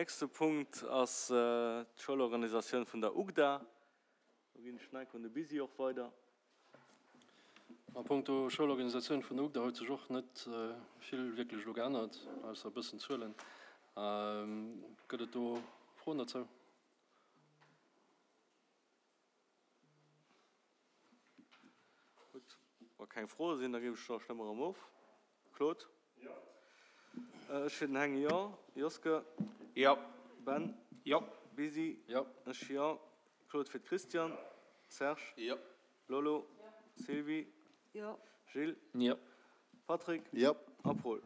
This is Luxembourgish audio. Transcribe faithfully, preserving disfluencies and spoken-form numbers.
Nächste Punkt ass d'Schoulorganisatioun vun der UGDA. Do ginn ech d'Nike un de Bisi och weider. A punkto Schoulorganisatioun vun der UGDA huet sech och net vill wierklech elo geännert, ausser e bëssen Zuelen. Gëtt et do Froen dozou? Gutt, wa keng Froe sinn, da géif ech da stëmme erëm of. Claude? Jo. Ech fir den Heng, jo. Joske? Jo. Ben? Jo. Bisi? Jo. Ech, jo. Claude fir d'Christiane? Serge? Jo. Lolo? Jo. Sylvie? Jo. Gilles? Jo. Patrick? Jo. A Paul?